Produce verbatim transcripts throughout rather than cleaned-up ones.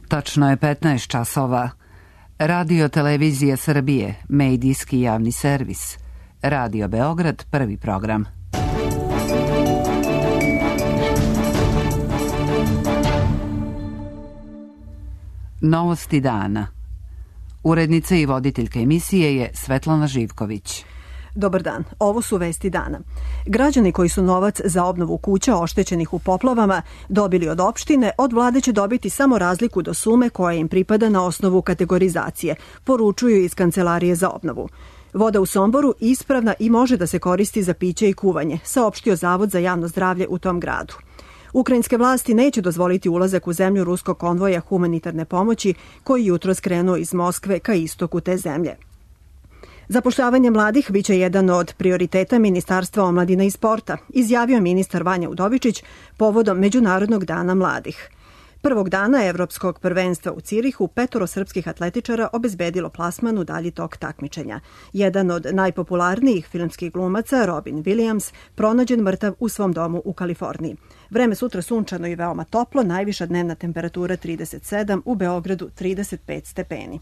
Tačno je petnaest časova. Radio Televizija Srbije, medijski javni servis. Radio Beograd, prvi program. Novosti dana. Urednica i voditeljka emisije je Svetlana Živković. Dobar dan, ovo su vesti dana. Građani koji su novac za obnovu kuća oštećenih u poplavama dobili od opštine, od vlade će dobiti samo razliku do sume koja im pripada na osnovu kategorizacije, poručuju iz Kancelarije za obnovu. Voda u Somboru ispravna i može da se koristi za piće i kuvanje, saopštio Zavod za javno zdravlje u tom gradu. Ukrajinske vlasti neće dozvoliti ulazak u zemlju ruskog konvoja humanitarne pomoći koji jutro skrenuo iz Moskve ka istoku te zemlje. Zapošljavanje mladih biće jedan od prioriteta Ministarstva omladine i sporta, izjavio ministar Vanja Udovičić povodom Međunarodnog dana mladih. Prvog dana Evropskog prvenstva u Cirihu petoro srpskih atletičara obezbedilo plasman u dalji tok takmičenja. Jedan od najpopularnijih filmskih glumaca, Robin Williams, pronađen mrtav u svom domu u Kaliforniji. Vreme sutra sunčano i veoma toplo, najviša dnevna temperatura trideset sedam, u Beogradu trideset pet stepeni.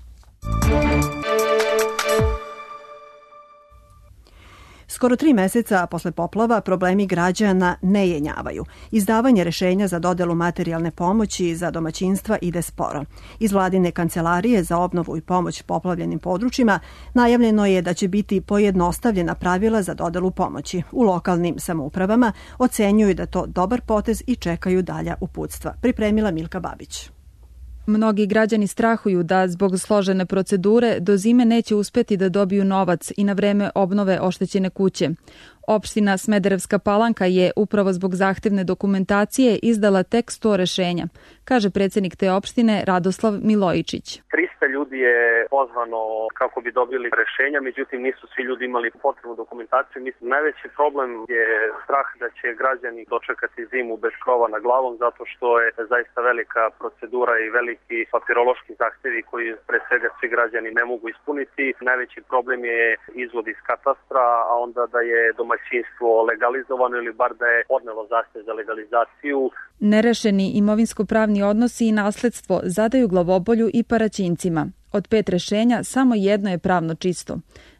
Skoro tri meseca posle poplava problemi građana ne jenjavaju. Izdavanje rešenja za dodelu materijalne pomoći za domaćinstva ide sporo. Iz vladine kancelarije za obnovu i pomoć poplavljenim područjima najavljeno je da će biti pojednostavljena pravila za dodelu pomoći. U lokalnim samoupravama ocenjuju da to dobar potez i čekaju dalja uputstva. Pripremila Milka Babić. Mnogi građani strahuju da zbog složene procedure do zime neće uspeti da dobiju novac i na vreme obnove oštećene kuće. Opština Smederevska Palanka je upravo zbog zahtevne dokumentacije izdala tek sto rešenja, kaže predsjednik te opštine Radoslav Milojičić. trista ljudi je pozvano kako bi dobili rešenja, međutim nisu svi ljudi imali potrebnu dokumentaciju. Mislim, najveći problem je strah da će građani dočekati zimu bez krova na glavom, zato što je zaista velika procedura i veliki papirološki zahtevi koji pre svega svi građani ne mogu ispuniti. Najveći problem je izvod iz katastra, a onda da je domaćinstvo legalizovano ili bar da je podnelo zahtev za legalizaciju. Nerešeni imovinsko-pravni odnosi i nasledstvo zadaju glavobolju i Paraćincima. Od pet rešenja samo jedno je pravno čisto.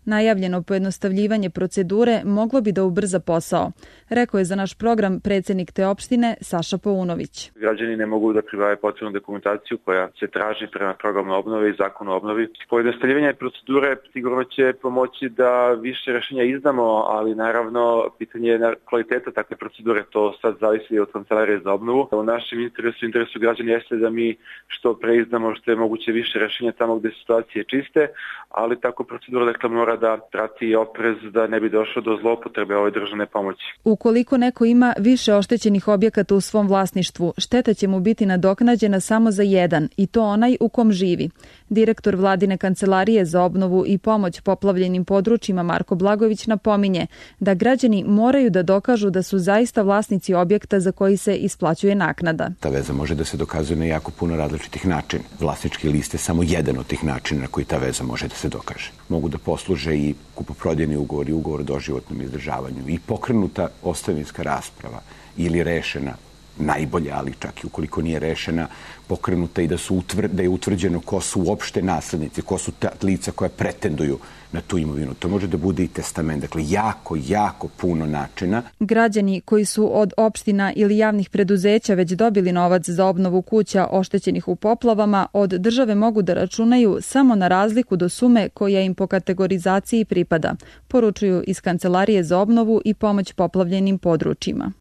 Najavljeno pojednostavljivanje procedure moglo bi da ubrza posao, rekao je za naš program predsjednik te opštine Saša Paunović. Građani ne mogu da pribave potrebnu dokumentaciju koja se traži prema programu obnove i zakonu o obnovi. Pojednostavljivanje procedure sigurno će pomoći da više rešenja izdamo, ali naravno pitanje je kvaliteta takve procedure, to sad zavisi od Kancelarije za obnovu. U našem interesu, interesu građana jeste da mi što pre izdamo što je moguće više rešenja tamo gde situacije čiste, ali tako procedura dakle mora da prati oprez da ne bi došlo do zloupotrebe ove državne pomoći. Ukoliko neko ima više oštećenih objekata u svom vlasništvu, šteta će mu biti nadoknađena samo za jedan, i to onaj u kom živi. Direktor vladine kancelarije za obnovu i pomoć poplavljenim područjima Marko Blagojević napominje da građani moraju da dokažu da su zaista vlasnici objekta za koji se isplaćuje naknada. Ta veza može da se dokazuje na jako puno različitih načina. Vlasnički list je samo jedan od tih načina na koji ta veza može da se dokaže. Mogu da posluže i kupoprodajni ugovor i ugovor o doživotnom izdržavanju i pokrenuta ostavinska rasprava ili rešena, najbolje, ali čak i ukoliko nije rešena, pokrenuta i da, su utvr, da je utvrđeno ko su uopšte naslednici, ko su ta lica koja pretenduju na tu imovinu. To može da bude i testament. Dakle, jako, jako puno načina. Građani koji su od opština ili javnih preduzeća već dobili novac za obnovu kuća oštećenih u poplavama, od države mogu da računaju samo na razliku do sume koja im po kategorizaciji pripada, poručuju iz Kancelarije za obnovu i pomoć poplavljenim područjima.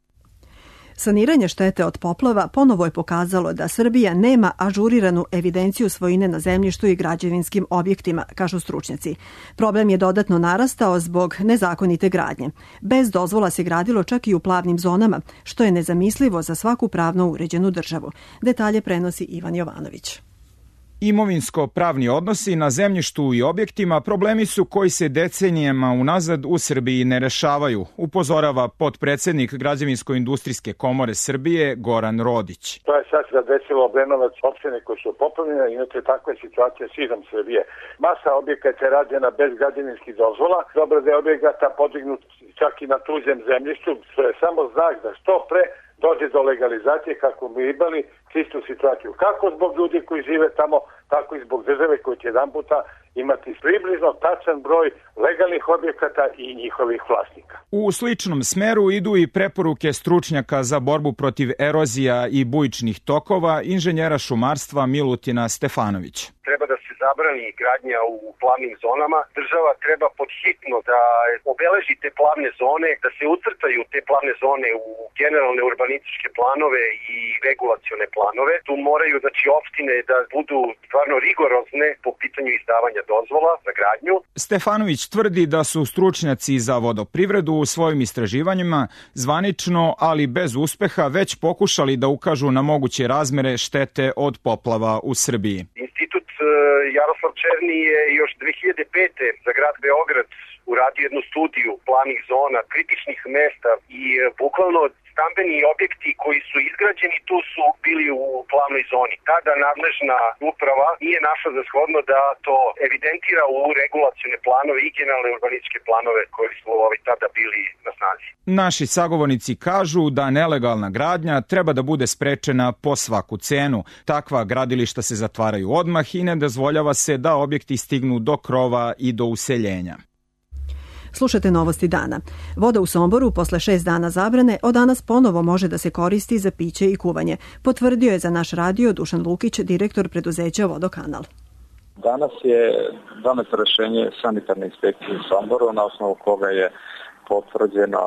Saniranje štete od poplava ponovo je pokazalo da Srbija nema ažuriranu evidenciju svojine na zemljištu i građevinskim objektima, kažu stručnjaci. Problem je dodatno narastao zbog nezakonite gradnje. Bez dozvola se gradilo čak i u plavnim zonama, što je nezamislivo za svaku pravno uređenu državu. Detalje prenosi Ivan Jovanović. Imovinsko-pravni odnosi na zemljištu i objektima problemi su koji se decenijama unazad u Srbiji ne rešavaju, upozorava potpredsednik Građevinsko-industrijske komore Srbije Goran Rodić. To je sad zadesilo Obrenovac, opštine koje su poplavljene, inače takva je situacija širom Srbije. Masa objekata je rađena bez građevinskih dozvola, dobro da je objekata podignut čak i na tuđem zemljištu, što je samo znak da što pre dođe do legalizacije kako bi imali čistu situaciju. Kako zbog ljudi koji žive tamo, tako i zbog države koji će jedan puta imati približno tačan broj legalnih objekata i njihovih vlasnika. U sličnom smeru idu i preporuke stručnjaka za borbu protiv erozija i bujičnih tokova, inženjera šumarstva Milutina Stefanović. Treba da se zabrani gradnja u plavnim zonama. Država treba podhitno da obeleži te plavne zone, da se ucrtaju te plavne zone u generalne urbanističke planove i regulacione planove. Tu moraju, znači, opštine da budu stvarno rigorozne po pitanju izdavanja dozvola za gradnju. Stefanović tvrdi da su stručnjaci za vodoprivredu u svojim istraživanjima zvanično, ali bez uspeha, već pokušali da ukažu na moguće razmere štete od poplava u Srbiji. Institut Jaroslav Černi je još dve hiljade pete za grad Beograd uradio jednu studiju plavnih zona, kritičnih mesta i bukvalno stambeni objekti koji su izgrađeni tu su bili u plavnoj zoni. Tada nadležna uprava nije našla za shodno da to evidentira u regulacione planove i generalne urbanističke planove koji su ovaj, tada bili na snazi. Naši sagovornici kažu da nelegalna gradnja treba da bude sprečena po svaku cenu. Takva gradilišta se zatvaraju odmah i ne dozvoljava se da objekti stignu do krova i do useljenja. Slušate Novosti dana. Voda u Somboru posle šest dana zabrane od danas ponovo može da se koristi za piće i kuvanje, potvrdio je za naš radio Dušan Lukić, direktor preduzeća Vodokanal. Danas je doneto rešenje sanitarne inspekcije u Somboru, na osnovu koga je potvrđeno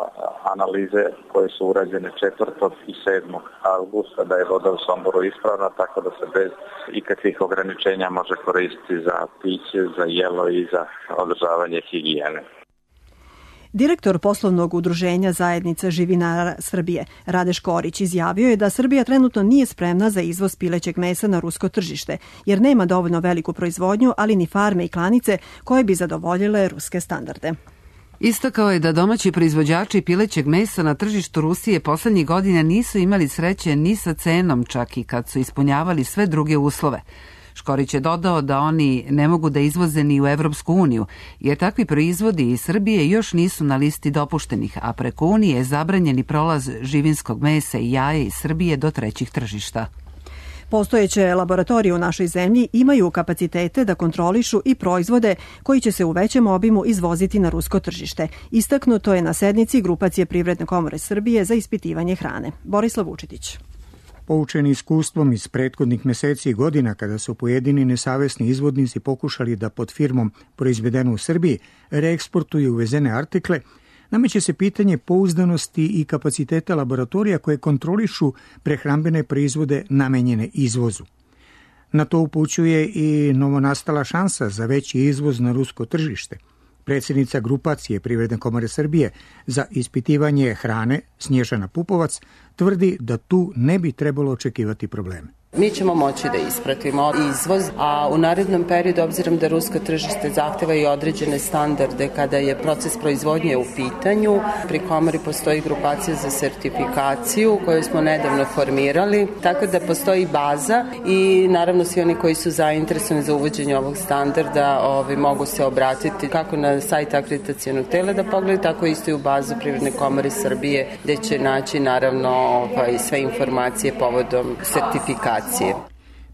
analize koje su urađene četvrtog i sedmog avgusta da je voda u Somboru ispravna, tako da se bez ikakvih ograničenja može koristiti za piće, za jelo i za održavanje higijene. Direktor poslovnog udruženja Zajednica živinara Srbije, Rade Škorić, izjavio je da Srbija trenutno nije spremna za izvoz pilećeg mesa na rusko tržište, jer nema dovoljno veliku proizvodnju, ali ni farme i klanice koje bi zadovoljile ruske standarde. Istakao je da domaći proizvođači pilećeg mesa na tržištu Rusije poslednjih godina nisu imali sreće ni sa cenom, čak i kad su ispunjavali sve druge uslove. Škorić je dodao da oni ne mogu da izvoze ni u Evropsku uniju, jer takvi proizvodi iz Srbije još nisu na listi dopuštenih, a preko Unije je zabranjeni prolaz živinskog mesa i jaja iz Srbije do trećih tržišta. Postojeće laboratorije u našoj zemlji imaju kapacitete da kontrolišu i proizvode koji će se u većem obimu izvoziti na rusko tržište. Istaknuto je na sednici Grupacije Privredne komore Srbije za ispitivanje hrane. Borislav Vučetić. Poučeni iskustvom iz prethodnih meseci i godina kada su pojedini nesavesni izvodnici pokušali da pod firmom proizvedeno u Srbiji reeksportuju uvezene artikle, nameće se pitanje pouzdanosti i kapaciteta laboratorija koje kontrolišu prehrambene proizvode namenjene izvozu. Na to upućuje i novonastala šansa za veći izvoz na rusko tržište. Predsjednica Grupacije Privredne komore Srbije za ispitivanje hrane, Snježana Pupovac, tvrdi da tu ne bi trebalo očekivati probleme. Mi ćemo moći da ispratimo izvoz, a u narednom periodu, obzirom da rusko tržište zahteva i određene standarde kada je proces proizvodnje u pitanju, pri komori postoji grupacija za sertifikaciju koju smo nedavno formirali, tako da postoji baza i naravno svi oni koji su zainteresovani za uvođenje ovog standarda ovi, mogu se obratiti kako na sajt akreditacionog tela da pogledaju, tako isto i u bazu Privredne komore Srbije, gde će naći naravno ovaj, sve informacije povodom sertifikacije.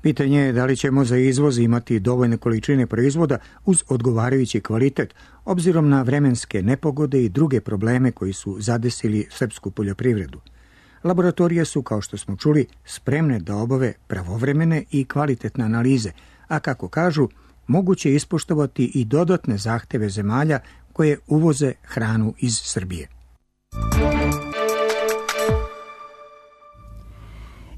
Pitanje je da li ćemo za izvoz imati dovoljne količine proizvoda uz odgovarajući kvalitet, obzirom na vremenske nepogode i druge probleme koji su zadesili srpsku poljoprivredu. Laboratorije su, kao što smo čuli, spremne da obave pravovremene i kvalitetne analize, a kako kažu, moguće ispoštovati i dodatne zahteve zemalja koje uvoze hranu iz Srbije.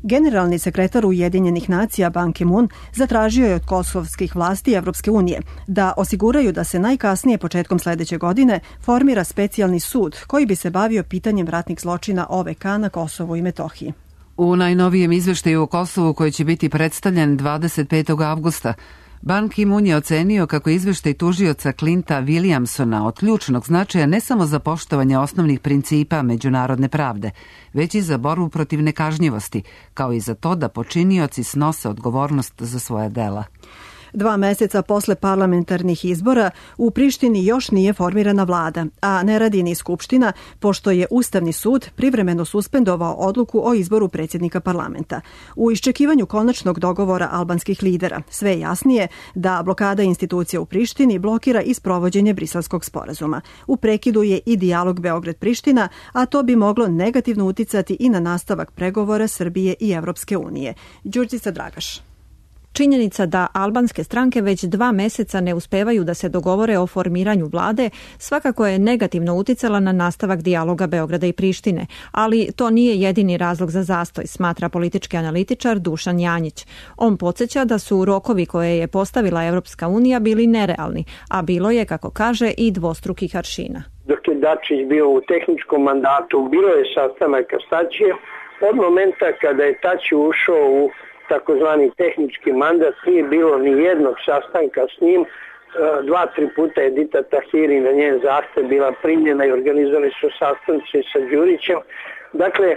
Generalni sekretar Ujedinjenih nacija Ban Ki-moon zatražio je od kosovskih vlasti Evropske unije da osiguraju da se najkasnije početkom sledeće godine formira specijalni sud koji bi se bavio pitanjem ratnih zločina O V K na Kosovu i Metohiji. U najnovijem izveštaju o Kosovu koji će biti predstavljen dvadeset petog avgusta, Ban Ki-moon je ocenio kako je izveštaj tužioca Clinta Williamsona od ključnog značaja ne samo za poštovanje osnovnih principa međunarodne pravde, već i za borbu protiv nekažnjivosti, kao i za to da počinioci snose odgovornost za svoja dela. Dva meseca posle parlamentarnih izbora u Prištini još nije formirana vlada, a ne radi ni Skupština, pošto je Ustavni sud privremeno suspendovao odluku o izboru predsjednika parlamenta. U iščekivanju konačnog dogovora albanskih lidera sve je jasnije da blokada institucija u Prištini blokira i sprovođenje Briselskog sporazuma. U prekidu je i dijalog Beograd-Priština, a to bi moglo negativno uticati i na nastavak pregovora Srbije i Evropske unije. Đurđica Dragaš. Činjenica da albanske stranke već dva meseca ne uspevaju da se dogovore o formiranju vlade svakako je negativno uticala na nastavak dijaloga Beograda i Prištine, ali to nije jedini razlog za zastoj, smatra politički analitičar Dušan Janjić. On podsjeća da su rokovi koje je postavila Evropska unija bili nerealni, a bilo je, kako kaže, i dvostrukih aršina. Dok je Dačić bio u tehničkom mandatu, bilo je sastanaka s Tačijem. Od momenta kada je Tači ušao u takozvani tehnički mandat, nije bilo ni jednog sastanka s njim. Dva, tri puta je Dita Tahiri na njen zahtev bila primljena i organizovani su sastanci sa Đurićem. Dakle,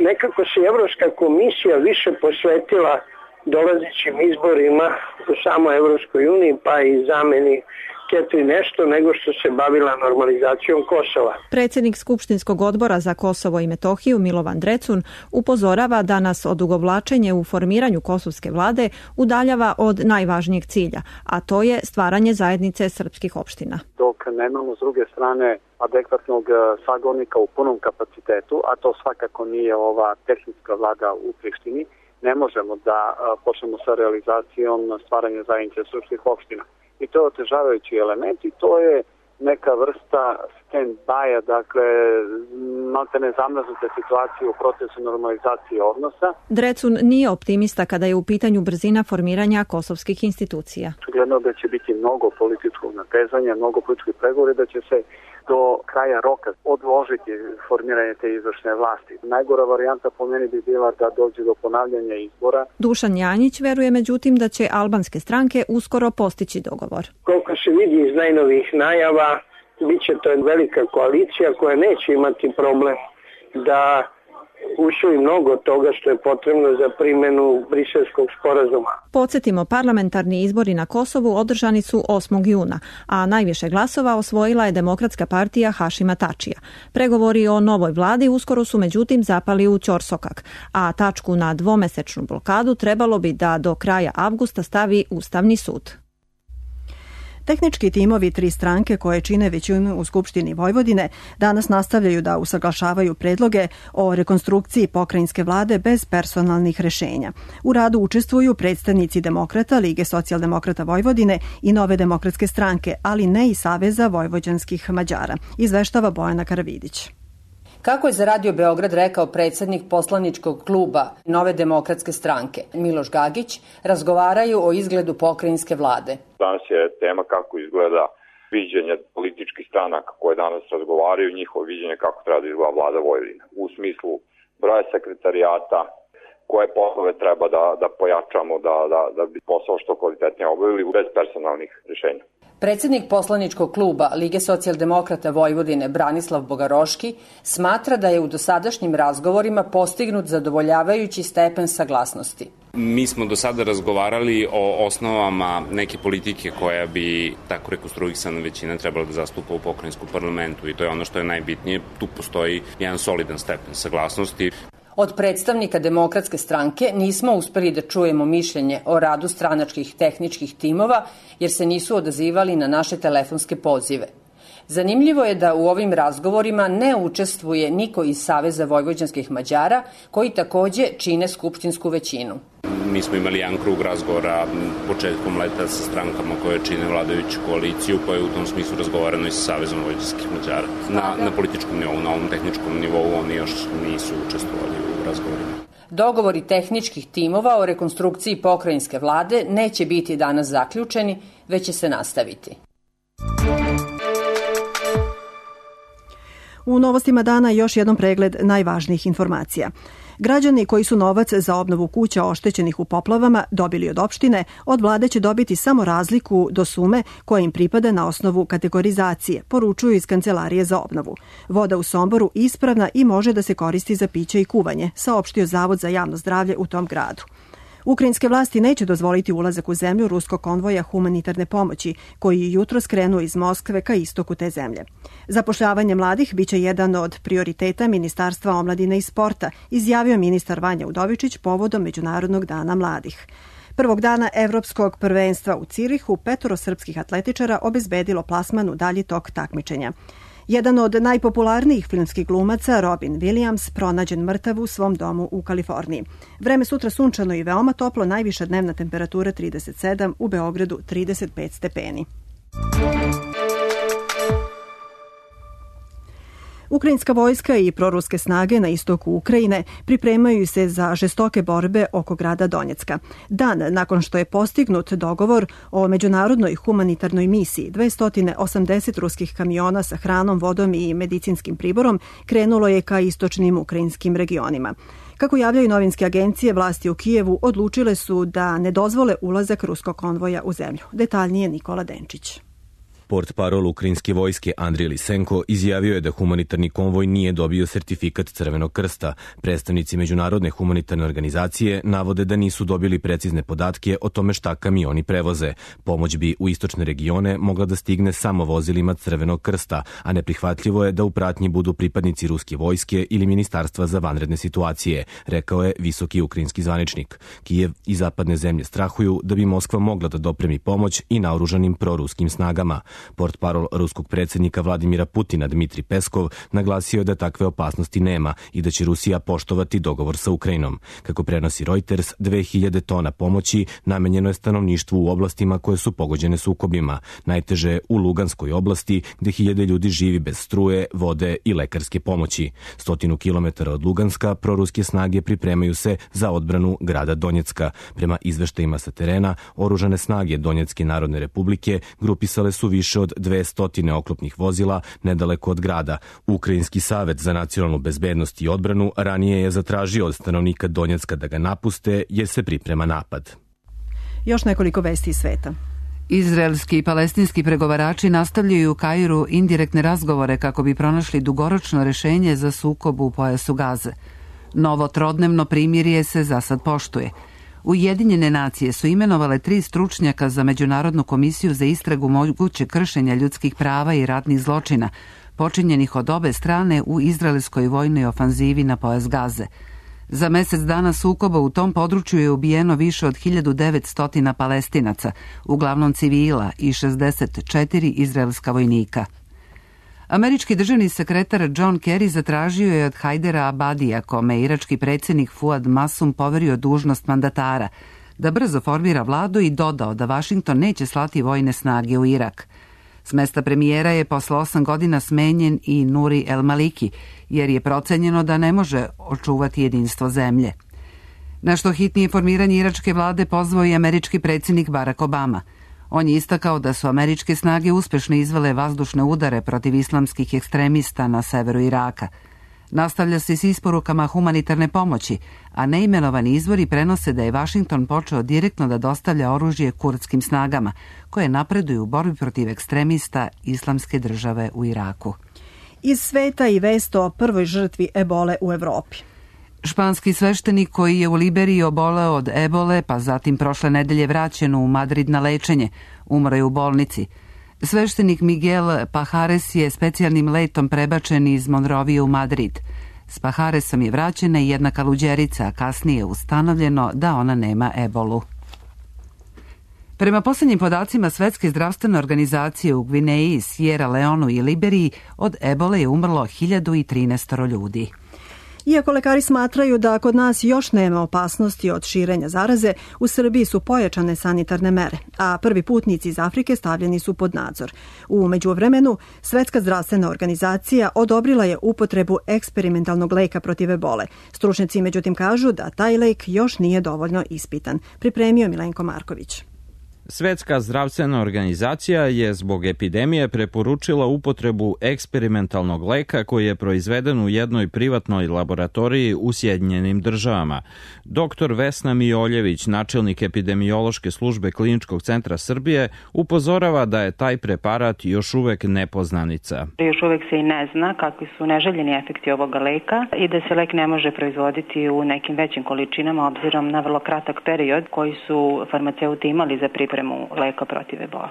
nekako se Evropska komisija više posvetila dolazećim izborima u samoj Evropskoj uniji, pa i zameni Ketri nešto nego što se bavila normalizacijom Kosova. Predsjednik Skupštinskog odbora za Kosovo i Metohiju Milovan Drecun upozorava da nas odugovlačenje u formiranju kosovske vlade udaljava od najvažnijeg cilja, a to je stvaranje zajednice srpskih opština. Dok nemamo s druge strane adekvatnog sagovornika u punom kapacitetu, a to svakako nije ova tehnička vlada u Prištini, ne možemo da počnemo sa realizacijom stvaranja zajednice srpskih opština. I to je otežavajući element i to je neka vrsta stand-by-a, dakle, maltene zamrznute situacije u procesu normalizacije odnosa. Drecun nije optimista kada je u pitanju brzina formiranja kosovskih institucija. Gledano da će biti mnogo političkog natezanja, mnogo političkih pregovora, da će se do kraja roka odložiti formiranje te izvršne vlasti. Najgora varijanta po meni bi bila da dođe do ponavljanja izbora. Dušan Janjić veruje međutim da će albanske stranke uskoro postići dogovor. Koliko se vidi iz najnovijih najava, bit će to velika koalicija koja neće imati problem da usvoji mnogo toga što je potrebno za primjenu Briselskog sporazuma. Podsjetimo, parlamentarni izbori na Kosovu održani su osmog juna, a najviše glasova osvojila je Demokratska partija Hašima Tačija. Pregovori o novoj vladi uskoro su međutim zapali u ćorsokak, a tačku na dvomesečnu blokadu trebalo bi da do kraja avgusta stavi Ustavni sud. Tehnički timovi tri stranke koje čine većinu u Skupštini Vojvodine danas nastavljaju da usaglašavaju predloge o rekonstrukciji pokrajinske vlade bez personalnih rešenja. U radu učestvuju predstavnici Demokrata, Lige socijaldemokrata Vojvodine i Nove demokratske stranke, ali ne i Saveza vojvođanskih Mađara, izveštava Bojana Karavidić. Kako je za Radio Beograd rekao predsjednik poslaničkog kluba Nove demokratske stranke Miloš Gagić, razgovaraju o izgledu pokrajinske vlade. Danas je tema kako izgleda viđenje političkih stranaka koje danas razgovaraju, njihovo viđenje kako treba da izgleda vlada Vojvodine. U smislu broja sekretarijata, koje poslove treba da, da pojačamo, da, da, da bi posao što kvalitetnije obavili bez personalnih rješenja. Predsjednik poslaničkog kluba Lige socijaldemokrata Vojvodine Branislav Bogaroški smatra da je u dosadašnjim razgovorima postignut zadovoljavajući stepen saglasnosti. Mi smo do sada razgovarali o osnovama neke politike koja bi tako rekonstruisana većina trebala da zastupa u pokrajinskom parlamentu i to je ono što je najbitnije. Tu postoji jedan solidan stepen saglasnosti. Od predstavnika Demokratske stranke nismo uspeli da čujemo mišljenje o radu stranačkih tehničkih timova jer se nisu odazivali na naše telefonske pozive. Zanimljivo je da u ovim razgovorima ne učestvuje niko iz Saveza vojvođanskih Mađara, koji takođe čine skupštinsku većinu. Mi smo imali jedan krug razgovora početkom leta sa strankama koje čine vladajuću koaliciju, koja je u tom smislu razgovarano i sa Savezom vojvođanskih Mađara. Na, na političkom nivou, na ovom tehničkom nivou oni još nisu učestvovali u razgovorima. Dogovori tehničkih timova o rekonstrukciji pokrajinske vlade neće biti danas zaključeni, već će se nastaviti. U novostima dana još jednom pregled najvažnijih informacija. Građani koji su novac za obnovu kuća oštećenih u poplavama dobili od opštine, od vlade će dobiti samo razliku do sume koja im pripada na osnovu kategorizacije, poručuju iz Kancelarije za obnovu. Voda u Somboru ispravna i može da se koristi za piće i kuvanje, saopštio Zavod za javno zdravlje u tom gradu. Ukrajinske vlasti neće dozvoliti ulazak u zemlju ruskog konvoja humanitarne pomoći, koji je jutro skrenuo iz Moskve ka istoku te zemlje. Zapošljavanje mladih biće jedan od prioriteta Ministarstva omladine i sporta, izjavio ministar Vanja Udovičić povodom Međunarodnog dana mladih. Prvog dana evropskog prvenstva u Cirihu petoro srpskih atletičara obezbedilo plasman u dalji tok takmičenja. Jedan od najpopularnijih filmskih glumaca, Robin Williams, pronađen mrtav u svom domu u Kaliforniji. Vreme sutra sunčano i veoma toplo, najviša dnevna temperatura trideset sedam, u Beogradu trideset pet stepeni. Ukrajinska vojska i proruske snage na istoku Ukrajine pripremaju se za žestoke borbe oko grada Donjecka. Dan nakon što je postignut dogovor o međunarodnoj humanitarnoj misiji, dvesta osamdeset ruskih kamiona sa hranom, vodom i medicinskim priborom krenulo je ka istočnim ukrajinskim regionima. Kako javljaju novinske agencije, vlasti u Kijevu odlučile su da ne dozvole ulazak ruskog konvoja u zemlju. Detaljnije Nikola Denčić. Portparol ukrajinske vojske Andrij Lisenko izjavio je da humanitarni konvoj nije dobio sertifikat Crvenog krsta. Predstavnici Međunarodne humanitarne organizacije navode da nisu dobili precizne podatke o tome šta kamioni prevoze. Pomoć bi u istočne regione mogla da stigne samo vozilima Crvenog krsta, a neprihvatljivo je da u pratnji budu pripadnici ruske vojske ili Ministarstva za vanredne situacije, rekao je visoki ukrajinski zvaničnik. Kijev i zapadne zemlje strahuju da bi Moskva mogla da dopremi pomoć i naoružanim proruskim snagama. Portparol ruskog predsjednika Vladimira Putina Dmitri Peskov naglasio je da takve opasnosti nema i da će Rusija poštovati dogovor sa Ukrajinom. Kako prenosi Reuters, dve hiljade tona pomoći namenjeno je stanovništvu u oblastima koje su pogođene sukobima. Najteže je u Luganskoj oblasti, gde hiljade ljudi živi bez struje, vode i lekarske pomoći. Stotinu kilometara od Luganska proruske snage pripremaju se za odbranu grada Donjecka. Prema izveštajima sa terena, oružane snage Donjecke narodne republike grupisale su više od dvesta oklopnih vozila nedaleko od grada. Ukrajinski savet za nacionalnu bezbednost i odbranu ranije je zatražio od stanovnika Donjecka da ga napuste jer se priprema napad. Još nekoliko vesti iz sveta. Izraelski i palestinski pregovarači nastavljaju u Kairu indirektne razgovore kako bi pronašli dugoročno rešenje za sukob u pojasu Gaze. Novo trodnevno primirje se za sad poštuje. Ujedinjene nacije su imenovale tri stručnjaka za Međunarodnu komisiju za istragu moguće kršenja ljudskih prava i ratnih zločina, počinjenih od obe strane u izraelskoj vojnoj ofanzivi na pojas Gaze. Za mesec dana sukoba u tom području je ubijeno više od hiljadu devetsto Palestinaca, uglavnom civila, i šezdeset četiri izraelska vojnika. Američki državni sekretar John Kerry zatražio je od Hajdera Abadija, kome je irački predsjednik Fuad Masum poverio dužnost mandatara, da brzo formira vladu i dodao da Vašington neće slati vojne snage u Irak. S mesta premijera je posle osam godina smenjen i Nuri El Maliki, jer je procenjeno da ne može očuvati jedinstvo zemlje. Na što hitnije formiranje iračke vlade pozvao i američki predsjednik Barack Obama. On je istakao da su američke snage uspešno izvele vazdušne udare protiv islamskih ekstremista na severu Iraka. Nastavlja se s isporukama humanitarne pomoći, a neimenovani izvori prenose da je Vašington počeo direktno da dostavlja oružje kurdskim snagama, koje napreduju u borbi protiv ekstremista islamske države u Iraku. Iz sveta i vest o prvoj žrtvi ebole u Evropi. Španski sveštenik koji je u Liberiji oboleo od ebole, pa zatim prošle nedelje vraćen u Madrid na lečenje, umro je u bolnici. Sveštenik Miguel Pajares je specijalnim letom prebačen iz Monrovije u Madrid. S Pajaresom je vraćena i jedna kaluđerica, a kasnije je ustanovljeno da ona nema ebolu. Prema posljednjim podacima Svetske zdravstvene organizacije u Gvineji, Sierra Leonu i Liberiji od ebole je umrlo hiljadu trinaest ljudi. Iako lekari smatraju da kod nas još nema opasnosti od širenja zaraze, u Srbiji su pojačane sanitarne mere, a prvi putnici iz Afrike stavljeni su pod nadzor. U međuvremenu, Svetska zdravstvena organizacija odobrila je upotrebu eksperimentalnog leka protiv ebole. Stručnjaci međutim kažu da taj lek još nije dovoljno ispitan. Pripremio Milenko Marković. Svetska zdravstvena organizacija je zbog epidemije preporučila upotrebu eksperimentalnog leka koji je proizveden u jednoj privatnoj laboratoriji u Sjedinjenim državama. Doktor Vesna Mijoljević, načelnik epidemiološke službe Kliničkog centra Srbije, upozorava da je taj preparat još uvek nepoznanica. Još uvek se i ne zna kakvi su neželjeni efekti ovoga leka i da se lek ne može proizvoditi u nekim većim količinama obzirom na vrlo kratak period koji su farmaceuti imali za pripremu leka protiv ebola.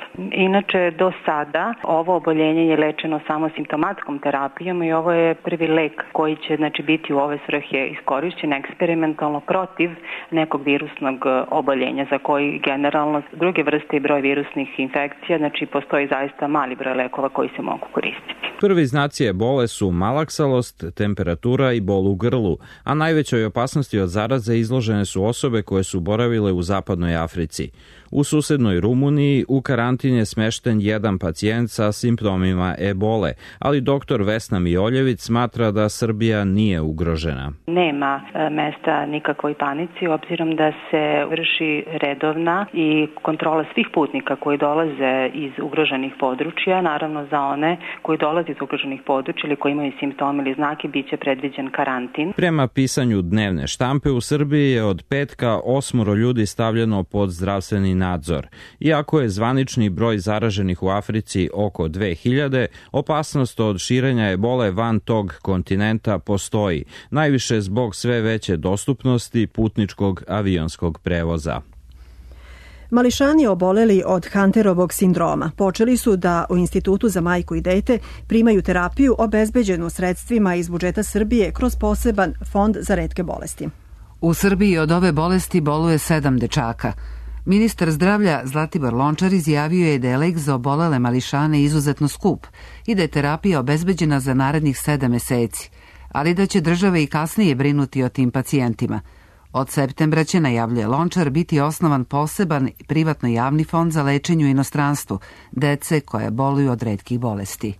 Inače, do sada ovo oboljenje je lečeno samo simptomatskom terapijom i ovo je prvi lek koji će znači, biti u ove svrhe iskorišćen eksperimentalno protiv nekog virusnog oboljenja za koji generalno druge vrste i broj virusnih infekcija, znači postoji zaista mali broj lekova koji se mogu koristiti. Prvi znaci ebole su malaksalost, temperatura i bol u grlu, a najvećoj opasnosti od zaraze izložene su osobe koje su boravile u zapadnoj Africi. U susednoj Rumuniji u karantin je smešten jedan pacijent sa simptomima ebole, ali doktor Vesna Mijoljević smatra da Srbija nije ugrožena. Nema mesta nikakvoj panici, obzirom da se vrši redovna i kontrola svih putnika koji dolaze iz ugroženih područja, naravno za one koji dolaze iz ugroženih područja ili koji imaju simptome ili znake, bit će predviđen karantin. Prema pisanju dnevne štampe u Srbiji je od petka osmoro ljudi stavljeno pod zdravstveni nadzor. Iako je zvanični broj zaraženih u Africi oko dve hiljade, opasnost od širenja ebole van tog kontinenta postoji, najviše zbog sve veće dostupnosti putničkog avionskog prevoza. Mališani oboleli od Hunterovog sindroma počeli su da u Institutu za majku i dete primaju terapiju obezbeđenu sredstvima iz budžeta Srbije kroz poseban fond za retke bolesti. U Srbiji od ove bolesti boluje sedam dečaka. Ministar zdravlja Zlatibor Lončar izjavio je da je lek za obolele mališane izuzetno skup i da je terapija obezbeđena za narednih sedam meseci, ali da će države i kasnije brinuti o tim pacijentima. Od septembra će, najavljuje Lončar, biti osnovan poseban privatno javni fond za lečenje u inostranstvu dece koje boluju od retkih bolesti.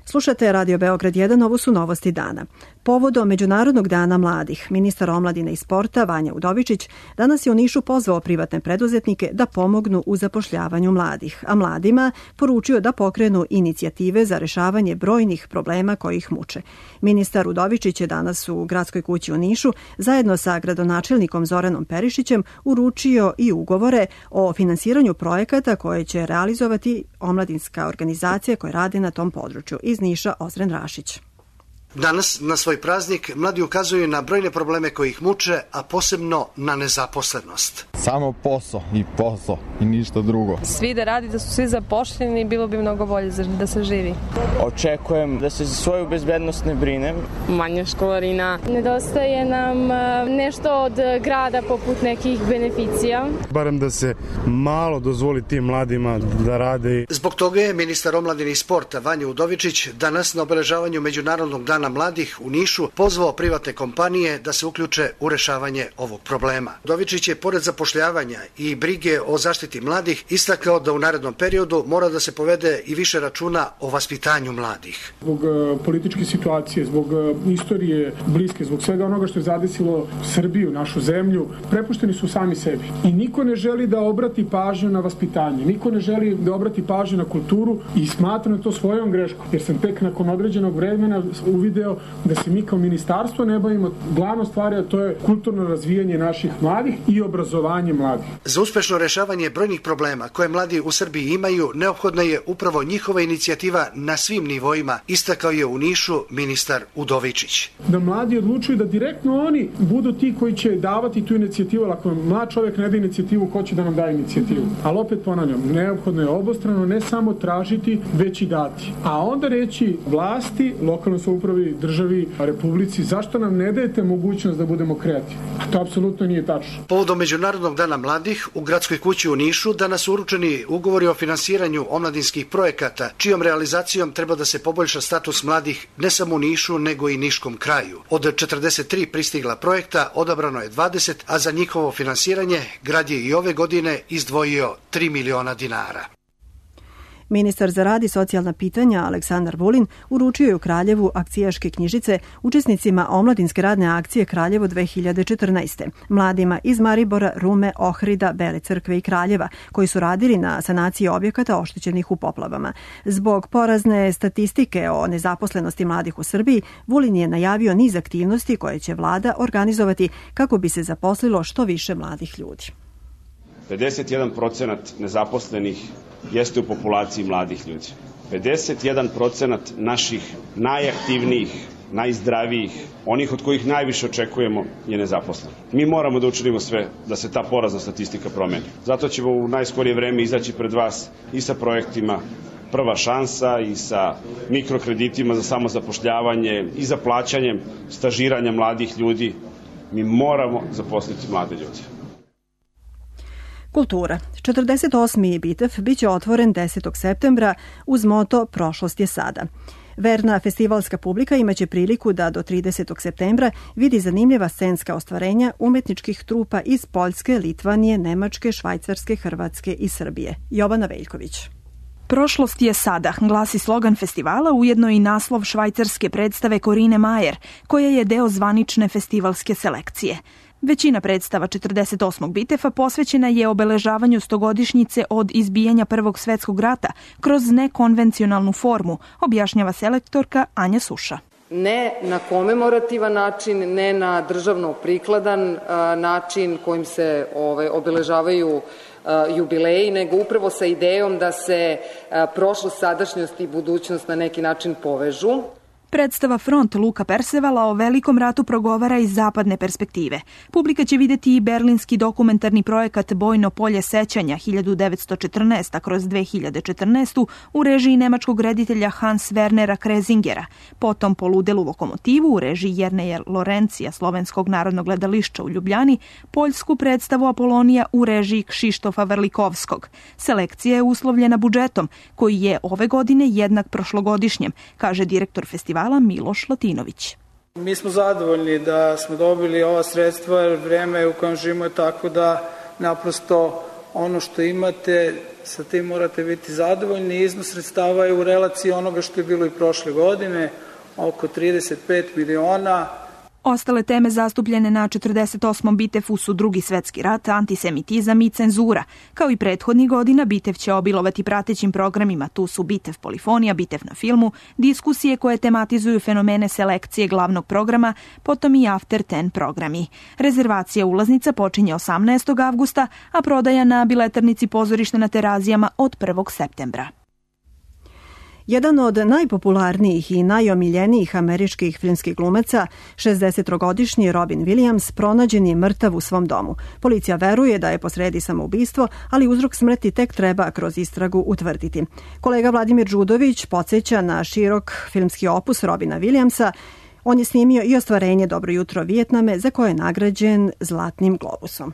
Slušate Radio Beograd jedan, ovo su novosti dana. Povodom Međunarodnog dana mladih, ministar omladine i sporta Vanja Udovičić danas je u Nišu pozvao privatne preduzetnike da pomognu u zapošljavanju mladih, a mladima poručio da pokrenu inicijative za rešavanje brojnih problema koji ih muče. Ministar Udovičić je danas u Gradskoj kući u Nišu zajedno sa gradonačelnikom Zoranom Perišićem uručio i ugovore o finansiranju projekata koje će realizovati omladinska organizacija koja radi na tom području. Iz Niša Ozren Rašić. Danas, na svoj praznik, mladi ukazuju na brojne probleme koji ih muče, a posebno na nezaposlenost. Samo posao i posao i ništa drugo. Svi da radi, da su svi zapošljeni, bilo bi mnogo bolje da se živi. Očekujem da se za svoju bezbednost ne brinem. Manja školarina. Nedostaje nam nešto od grada poput nekih beneficija. Barem da se malo dozvoli tim mladima da rade. Zbog toga je ministar omladine i sporta Vanja Udovičić danas na obeležavanju Međunarodnog dana mladih u Nišu pozvao privatne kompanije da se uključe u rešavanje ovog problema. Udovičić je pored zapošljavanja i brige o zaštiti mladih istakao da u narednom periodu mora da se povede i više računa o vaspitanju mladih. Zbog uh, političke situacije, zbog uh, istorije bliske, zbog svega onoga što je zadesilo Srbiju, našu zemlju, prepušteni su sami sebi. I niko ne želi da obrati pažnju na vaspitanje, niko ne želi da obrati pažnju na kulturu i smatram to svojom greškom, jer sam tek nakon određenog vremena uvidio da se mi kao ministarstvo ne bavimo glavno stvari, a to je kulturno razvijanje naših mladih i obrazovanje mladih. Za uspešno rešavanje brojnih problema koje mladi u Srbiji imaju, neophodna je upravo njihova inicijativa na svim nivoima, istakao je u Nišu ministar Udovičić. Da mladi odlučuju da direktno oni budu ti koji će davati tu inicijativu, ali ako mlad čovjek ne da inicijativu, ko će da nam daje inicijativu? Ali opet ponavljam, neophodno je obostrano ne samo tražiti, već i dati. A onda reći vlasti, lokalnoj samoupravi, državi, republici, zašto nam ne dajete mogućnost da budemo kreativni? A to apsolutno nije tačno. Povodom Međunarodnog dana mladih u Gradskoj kući u Nišu danas su uručeni ugovori o finansiranju omladinskih projekata, čijom realizacijom treba da se poboljša status mladih ne samo u Nišu, nego i niškom kraju. Od četrdeset tri pristigla projekta odabrano je dvadeset, a za njihovo finansiranje grad je i ove godine izdvojio tri miliona dinara. Ministar za rad i socijalna pitanja Aleksandar Vulin uručio je u Kraljevu akcijaške knjižice učesnicima omladinske radne akcije Kraljevo dve hiljade četrnaeste. Mladima iz Maribora, Rume, Ohrida, Bele Crkve i Kraljeva, koji su radili na sanaciji objekata oštećenih u poplavama. Zbog porazne statistike o nezaposlenosti mladih u Srbiji, Vulin je najavio niz aktivnosti koje će vlada organizovati kako bi se zaposlilo što više mladih ljudi. pedeset jedan procenat nezaposlenih jeste u populaciji mladih ljudi. pedeset jedan procenat naših najaktivnijih, najzdravijih, onih od kojih najviše očekujemo je nezaposlen. Mi moramo da učinimo sve da se ta porazna statistika promeni. Zato ćemo u najskorije vreme izaći pred vas i sa projektima Prva šansa i sa mikrokreditima za samozapošljavanje i za plaćanjem stažiranja mladih ljudi. Mi moramo zaposliti mlade ljude. Kultura. četrdeset osmi Bitev biće otvoren desetog septembra uz moto Prošlost je sada. Verna festivalska publika imaće priliku da do tridesetog septembra vidi zanimljiva scenska ostvarenja umetničkih trupa iz Poljske, Litvanije, Nemačke, Švajcarske, Hrvatske i Srbije. Jovana Veljković. Prošlost je sada, glasi slogan festivala, ujedno i naslov švajcarske predstave Korine Majer, koja je deo zvanične festivalske selekcije. Većina predstava četrdeset osmog Bitefa posvećena je obeležavanju stogodišnjice od izbijanja Prvog svetskog rata kroz nekonvencionalnu formu, objašnjava selektorka Anja Suša. Ne na komemorativan način, ne na državno prikladan način kojim se ove, obeležavaju jubileji, nego upravo sa idejom da se prošlost, sadašnjost i budućnost na neki način povežu. Predstava Front Luka Persevala o velikom ratu progovara iz zapadne perspektive. Publika će vidjeti i berlinski dokumentarni projekat Bojno polje sećanja hiljadu devetsto četrnaeste kroz dve hiljade četrnaestu u režiji nemačkog reditelja Hans Wernera Krezingera, potom Poludelu lokomotivu u režiji Jerneja Lorencija Slovenskog narodnog gledališća u Ljubljani, poljsku predstavu Apolonija u režiji Kšištofa Vrlikovskog. Selekcija je uslovljena budžetom, koji je ove godine jednak prošlogodišnjem, kaže direktor festivala Miloš Latinović. Mi smo zadovoljni da smo dobili ova sredstva, jer vreme u kojem živimo je tako da naprosto ono što imate, sa tim morate biti zadovoljni. Iznos sredstava je u relaciji onoga što je bilo i prošle godine, oko trideset pet miliona. Ostale teme zastupljene na četrdeset osmom Bitefu su Drugi svetski rat, antisemitizam i cenzura. Kao i prethodnih godina, Bitev će obilovati pratećim programima. Tu su Bitev polifonija, Bitev na filmu, diskusije koje tematizuju fenomene selekcije glavnog programa, potom i After Ten programi. Rezervacija ulaznica počinje osamnaestog avgusta, a prodaja na biletarnici Pozorišta na Terazijama od prvog septembra. Jedan od najpopularnijih i najomiljenijih američkih filmskih glumaca, šezdesetogodišnji Robin Williams, pronađen je mrtav u svom domu. Policija veruje da je posredi samoubistvo, ali uzrok smrti tek treba kroz istragu utvrditi. Kolega Vladimir Đudović podsjeća na širok filmski opus Robina Williamsa. On je snimio i ostvarenje Dobro jutro Vijetname, za koje je nagrađen Zlatnim globusom.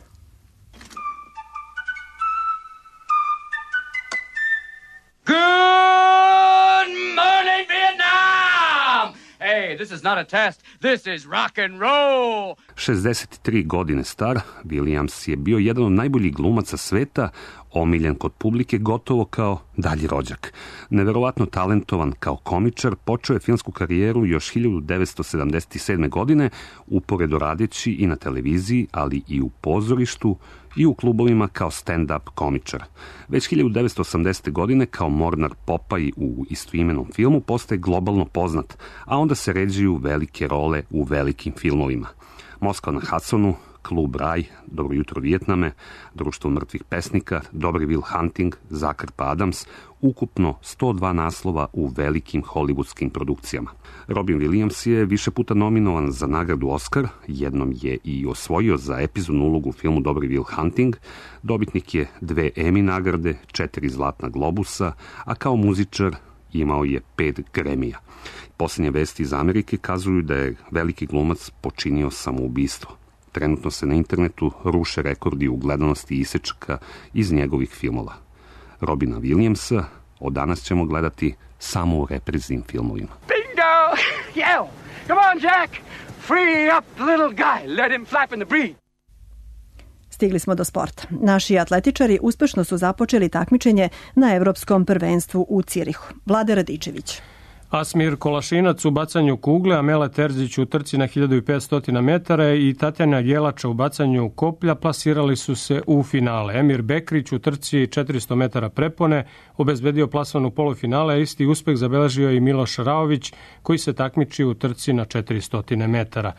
Good morning, Vietnam! Hey, this is not a test. This is rock and roll. šezdeset tri godine star, Williams je bio jedan od najboljih glumaca sveta, omiljen kod publike gotovo kao dalji rođak. Neverovatno talentovan kao komičar, počeo je filmsku karijeru još hiljadu devetsto sedamdeset sedme. godine, uporedo radeći i na televiziji, ali i u pozorištu i u klubovima kao stand-up komičar. Već hiljadu devetsto osamdesete. godine kao Mornar Popaj u istoimenom filmu postaje globalno poznat, a onda se ređuju velike role u velikim filmovima. Moskva na Hudsonu, Klub Raj, Dobro jutro Vijetname, Društvo mrtvih pesnika, Dobri Will Hunting, Zakrpa Adams, ukupno sto dva naslova u velikim hollywoodskim produkcijama. Robin Williams je više puta nominovan za nagradu Oscar, jednom je i osvojio za epizodnu ulogu u filmu Dobri Will Hunting, dobitnik je dve Emmy nagrade, četiri Zlatna globusa, a kao muzičar imao je pet Grammy-a. Posljednje vesti iz Amerike kazuju da je veliki glumac počinio samoubistvo. Trenutno se na internetu ruše rekordi u gledanosti isečaka iz njegovih filmova. Robina Williamsa od danas ćemo gledati samo u repriznim filmovima. Bingo! Yo! Come on, Jack! Free up the little guy. Let him flap in the breeze. Stigli smo do sporta. Naši atletičari uspešno su započeli takmičenje na Evropskom prvenstvu u Cirihu. Vlade Radičević. Asmir Kolašinac u bacanju kugle, Amela Terzić u trci na hiljadu petsto metara i Tatjana Jelača u bacanju koplja plasirali su se u finale. Emir Bekrić u trci četiristo metara prepone obezbedio plasman u polufinale, a isti uspeh zabeležio i Miloš Raović koji se takmiči u trci na četiristo metara.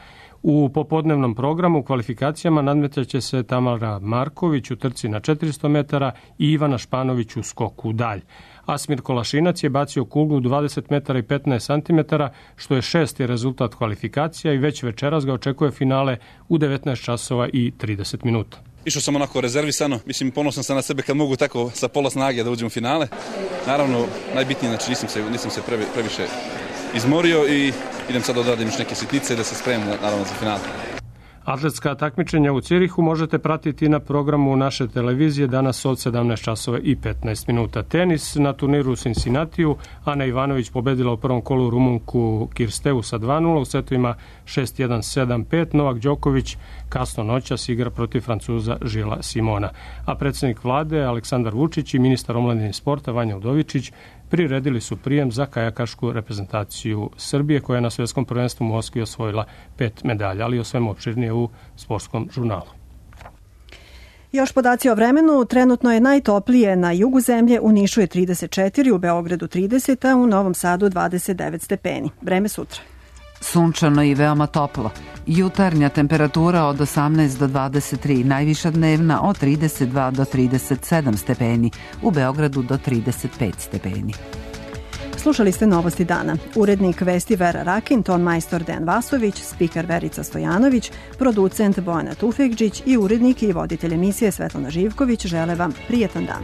U popodnevnom programu u kvalifikacijama nadmetaće se Tamara Marković u trci na četiristo metara i Ivana Španović u skoku dalj. Asmir Kolašinac je bacio kuglu dvadeset metara i petnaest santimetara, što je šesti rezultat kvalifikacija i već večeras ga očekuje finale u devetnaest časova i trideset minuta. Išao sam onako rezervisano, mislim ponosan sam na sebe kad mogu tako sa pola snage da uđem u finale. Naravno, najbitnije, znači nisam se, nisam se previ, previše izmorio i idem sad da odradim još neke sitnice da se spremim naravno za finale. Atletska takmičenja u Cirihu možete pratiti na programu naše televizije danas od sedamnaest časova i petnaest minuta. Tenis na turniru u Cincinnatiju. Ana Ivanović pobedila u prvom kolu Rumunku Kirsteu sa dva nula u setovima šest jedan sedam pet. Novak Đoković kasno noćas igra protiv Francuza Žila Simona. A predsjednik vlade Aleksandar Vučić i ministar omladine i sporta Vanja Udovičić priredili su prijem za kajakašku reprezentaciju Srbije koja je na svjetskom prvenstvu u Moskvi osvojila pet medalja, ali o svemu opširnije u sportskom žurnalu. Još podaci o vremenu. Trenutno je najtoplije na jugu zemlje, u Nišu je trideset četiri, u Beogradu trideset, a u Novom Sadu dvadeset devet stepeni. Vreme sutra. Sunčano i veoma toplo. Jutarnja temperatura od osamnaest do dvadeset tri, najviša dnevna od trideset dva do trideset sedam stepeni, u Beogradu do trideset pet stepeni. Slušali ste Novosti dana. Urednik vesti Vera Rakin, ton majstor Dejan Vasović, spiker Verica Stojanović, producent Bojana Tufekđić i urednik i voditelj emisije Svetlana Živković žele vam prijetan dan.